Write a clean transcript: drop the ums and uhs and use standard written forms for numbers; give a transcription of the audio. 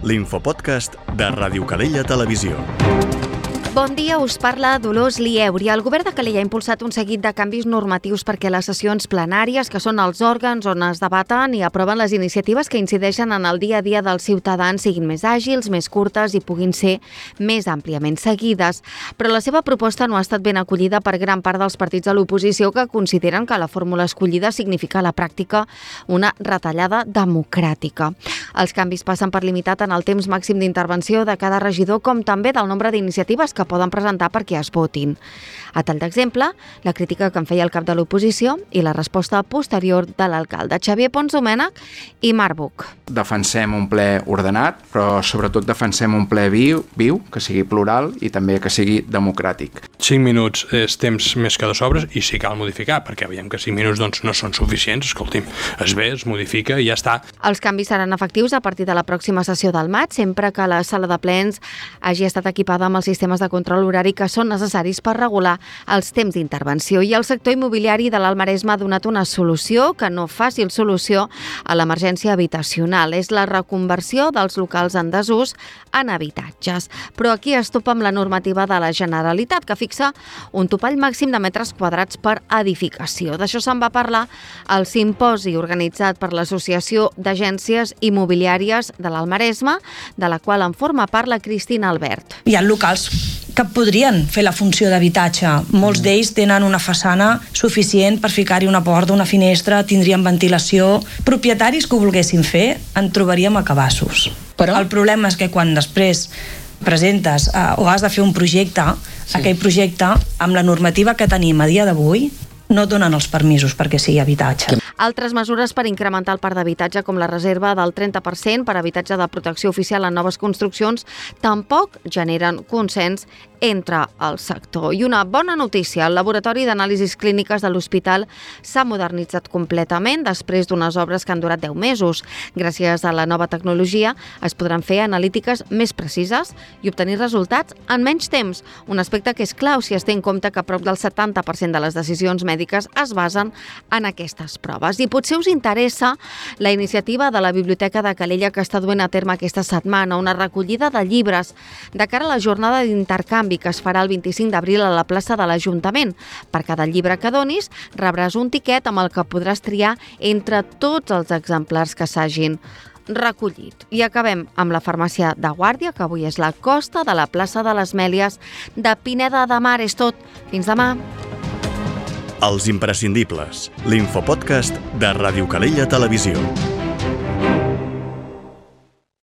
l'infopodcast de Ràdio Calella Televisió. Bon dia, us parla Dolors Lieuri. El govern de Calella ha impulsat un seguit de canvis normatius perquè les sessions plenàries, que són els òrgans on es debaten i aproven les iniciatives que incideixen en el dia a dia dels ciutadans, siguin més àgils, més curtes i puguin ser més àmpliament seguides. Però la seva proposta no ha estat ben acollida per gran part dels partits de l'oposició, que consideren que la fórmula escollida significa a la pràctica una retallada democràtica. Els canvis passen per limitar tant el temps màxim d'intervenció de cada regidor com també del nombre d'iniciatives que poden presentar perquè es votin. A tall d'exemple, la crítica que en feia el cap de l'oposició i la resposta posterior de l'alcalde Xavier Pons Domènech i Marc Buch. Defensem un ple ordenat, però sobretot defensem un ple viu, que sigui plural i també que sigui democràtic. 5 minuts és temps més que de sobres i si cal modificar, perquè veiem que 5 minuts no són suficients. Escolti'm, es ve, es modifica i ja està. Els canvis seran efectius a partir de la pròxima sessió del maig, sempre que la sala de plens hagi estat equipada amb els sistemes de control horari que són necessaris per regular els temps d'intervenció. I el sector immobiliari de l'Alt Maresme ha donat una solució que no fàcil solució a l'emergència habitacional. És la reconversió dels locals en desús en habitatges. Però aquí es topa amb la normativa de la Generalitat, que fixa un topall màxim de metres quadrats per edificació. D'això se'n va parlar al simposi organitzat per l'Associació d'Agències Immobiliàries de l'Alt Maresme, de la qual en forma part la Cristina Albert. Hi ha locals que podrien fer la funció d'habitatge. Molts d'ells tenen una façana suficient per ficar-hi una porta, una finestra, tindrien ventilació. Propietaris que ho volguessin fer en trobaríem a cabassos. Però el problema és que quan després presentes o has de fer un projecte, aquell projecte, amb la normativa que tenim a dia d'avui, no donen els permisos perquè sigui habitatge. Altres mesures per incrementar el parc d'habitatge, com la reserva del 30% per habitatge de protecció oficial en noves construccions, tampoc generen consens entre el sector. I una bona notícia, el laboratori d'anàlisis clíniques de l'hospital s'ha modernitzat completament després d'unes obres que han durat 10 mesos. Gràcies a la nova tecnologia es podran fer analítiques més precises i obtenir resultats en menys temps, un aspecte que és clau si es té en compte que prop del 70% de les decisions mèdiques es basen en aquestes proves. I potser us interessa la iniciativa de la Biblioteca de Calella que està duent a terme aquesta setmana, una recollida de llibres de cara a la jornada d'intercanvi que es farà el 25 d'abril a la plaça de l'Ajuntament. Per cada llibre que donis, rebràs un tiquet amb el que podràs triar entre tots els exemplars que s'hagin recollit. I acabem amb la farmàcia de Guàrdia, que avui és la costa de la plaça de les Mèlies de Pineda de Mar. És tot. Fins demà. Els imprescindibles, l'infopodcast de Ràdio Calella Televisió.